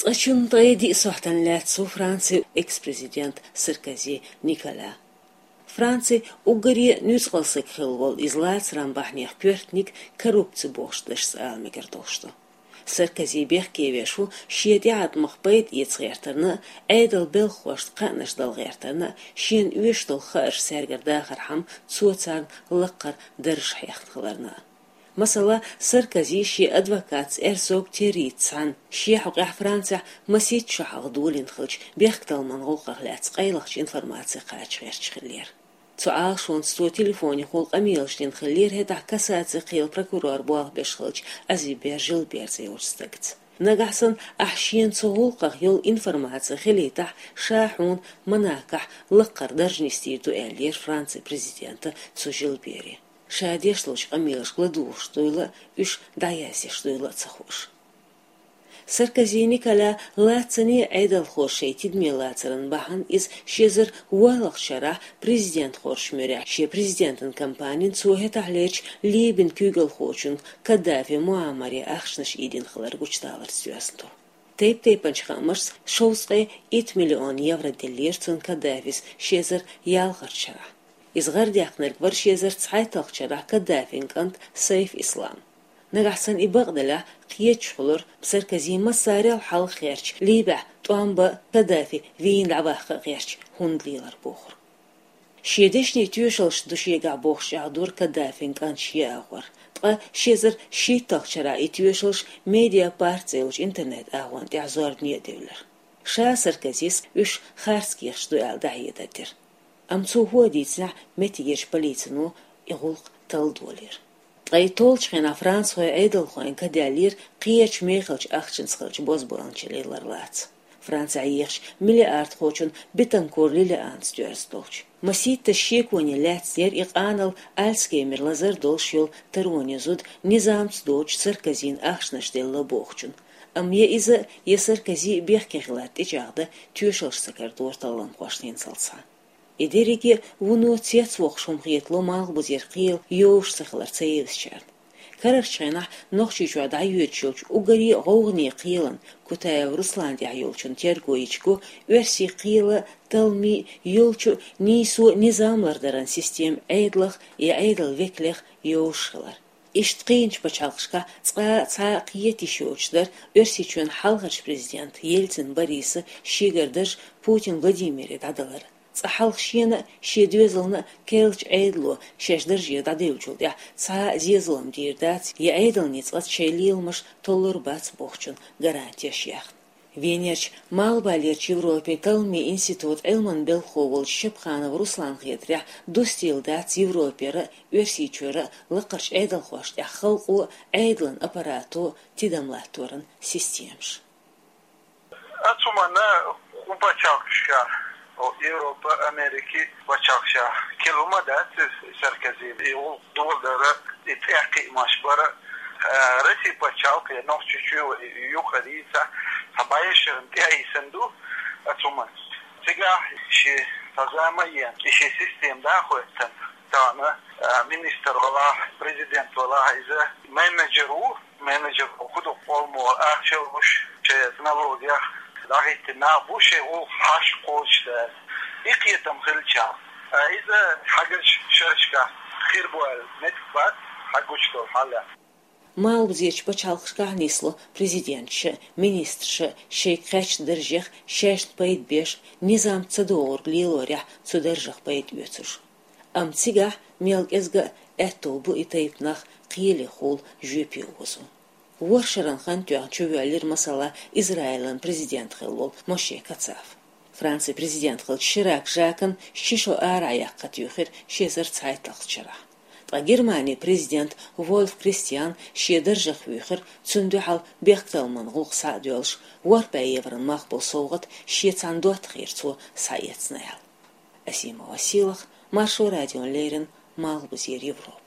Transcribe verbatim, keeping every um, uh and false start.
Ткъа чун ткъе диъ сохьтана лаьцна ву Францин экс-президент Саркози Николя. Францин уггаре нуьцкъала саг хилла волу иза лацаран бахьанех коьртаниг коррупци бохучу дашца ала мегар долуш ду. Саркози бехке веш ву шен тӀеӀаткъамах пайда эца гӀертарна а, Ӏедалан белхахошна кхаънаш дала гӀертарна а, шена оьшуш долу хаарш цаьргара дахархьама цо царна лаккхара даржаш хьехна хиларна а. Масала, Саркози шен адвокатца Эрцог Террица цхьаьна шен хьокъехь Францехь масийтта шо хьалха долийна хиллачу бехктакхаман гӀуллакхах лаьцна къайлахчу информаци кхача гӀерташ хиллера. Цу Ӏалашонца цо телефонехула къамелаш дина хиллера хӀетахь кассацин кхелан прокурор болх беш хиллачу Азибер Жилбер цӀе йолчу стагца. Нагахь санна ахь шена цу гӀуллакхах йолу информаци хилийтахь, ша хьуна Монакохь лаккхара дарж нисдийр ду, аьллера Францин президента цу Жилбере. Ша деш долчу къамелашка ладугӀуш дуйла а, уьш дӀаяздеш дуйла а ца хууш. Саркози Николя лаьцна а Ӏедалхоша шайн тидаме лацаран бахьана иза ши эзар ворхӀалгӀачу шарахь президент хоржучу муьрехь шен президентан кампанин цо хӀетахьлерчу Либин куьйгалхочуьнга Каддафи Муаммаре ахчанаш ийдина хилар гучудаларца доьзна ду. Тайп-тайпанчу хаамашца шовзткъе итт миллион евро деллера цунна Каддафис ши эзар ялхалгӀачу шарахь. Иза гӀарадаьккхинарг вара ши эзар цхьайтталгӀачу шарахь Каддафин кӀант Сайф Ислам. Нагахь санна и бакъ делахь, кхеташ хуьлура, Саркози массарел хьалха гӀерташ, Либехь тӀом бан а, Каддафи вийна дӀаваккха а гӀерташ, хӀунда лелар бохург. Шен дешнийн тоьшаллаш ду шегахь бохуш чӀагӀдора Каддафин кӀант шен агӀор, ткъа ши эзар шийтталгӀачу шарахь и тоьшаллаш Медиапарт цӀе йолчу интернет-агӀонна тӀехь зорбане а девлира. Ша Саркозис уьш харц кехаташ ду аьлла дӀахьедар дира. Амма цо хӀун а дийцинехь, меттигерчу полицино и гӀуллакх талла долийра. Ткъа и толлучу хенахь францхойн Ӏедалхойн ка даьллера кхечу мехалчу ахчанца хиллачу бозбуунчаллин ларлаца. Францехь ехачу миллиардхочун Бетанкур Лилианца доьзна долчу. Масийтта шеконе лаьцна яра и къанал Альцгеймер лазар долуш йолу тароне зуда низамца доцучу Саркозина ахчанаш делла бохучун. Амма я иза, я Саркози бехке хилар тӀечӀагӀдан тоьшаллаш ца карадора талламхошна хӀинццалц схьа. И дерриге а вуно цецвоккхуш хӀума хетало Малхбузера кхелан йозуш ца хилар ца евзачарна. Карарчу хенахь Нохчийчохь дӀайоьдуш йолчу уггаре а гӀовгӀане кхелан, Кутаев Русланна тӀехь йолчун терго йича го, оьрсийн кхелан, талламийн, йолчу нийсо а низам лардаран система Ӏедалх я Ӏедалан векалех йовзуш хилар. Иштта кхиъначу пачхьалкхашкахь цкъа а цхьа а кхета йиш йоцуш дара Оьрсийчоьнан хьалхарчу президента Ельцин Бориса шегара дарж Путин Владимире дӀадалар. Цкъа хьалха шена а, шен доьзална а керлачу Ӏедало шаьш дарже дӀадевллачул тӀаьхьа цхьа а зен-зулам дийр дац я Ӏедална цкъа шайн леламаш толлур бац бохучун гарантеш яьхна. Венерчу Малхбалерчу Европин талламийн институтан Ӏилманан белхахо волчу Шапханов Русланна хетарехь, дустийла дац Европера а, Оьрсийчуьра а лакхарчу Ӏедалхошна тӀехь халкъо а, Ӏедалан аппарато а тидам латторан системаш. Ацу хӀуманна кху пачхьалкхашкахь, о, Европа, Америки пачхьалкхашкахь кхин хӀума дац иза, Саркози и гӀуллакх доладар а, и цӀе кхиамаш бар а, а, Росси пачхьалкх я Нохчийчоь а юкъара дийца, цхьа бӀешеран тӀе а йисина ду ацу хӀуманна. Цигахь шен цхьа зама а йина, и шен система дӀахӀоьттина, тахана, а, министр валахь, президент валахь, иза менеджер ву, менеджер ву, хӀун ду къоламо ахча луш, шайн налогех дӀахӀиттина нах бу, шайн гӀуллакх хьашт кхочушдеш. И кхетам хилча, а, иза хьагучу шерашкахь хир бу аьлла меттиг бац, хьагучу долу хьал. Малхбузерчу пачхьалкхашкахь нисло президенташа а, министраша а шайга кхаьчначу даржех шайшна пайда беш, низам ца догӀург лелорехь цу даржах пайда оьцуш. Амма цигахь мел кӀезга а аьтто бу и тайпа нах кхелехула жоьпе озо. ВорхӀ шарна хан тоьхна чувоьллира, масала, Израилан президент хилла волу Моше Кацав. Францин президент хиллачу Ширак Жакан ши шо арахь яккха туьйхира ши эзар цхьайтталгӀачу шарахь. Ткъа Германин президент Вольф Кристиан шен даржах вуьйхира, цунна дуьхьал бехктакхаман гӀуллакх схьа а доьллуш, ворхӀ бӀе еврон мах болу совгӀат шен цхьана доттагӀера цо схьаэцна аьлла. Асимова Сийлаха, Маршо радиона леррина, Малхбузера Европа.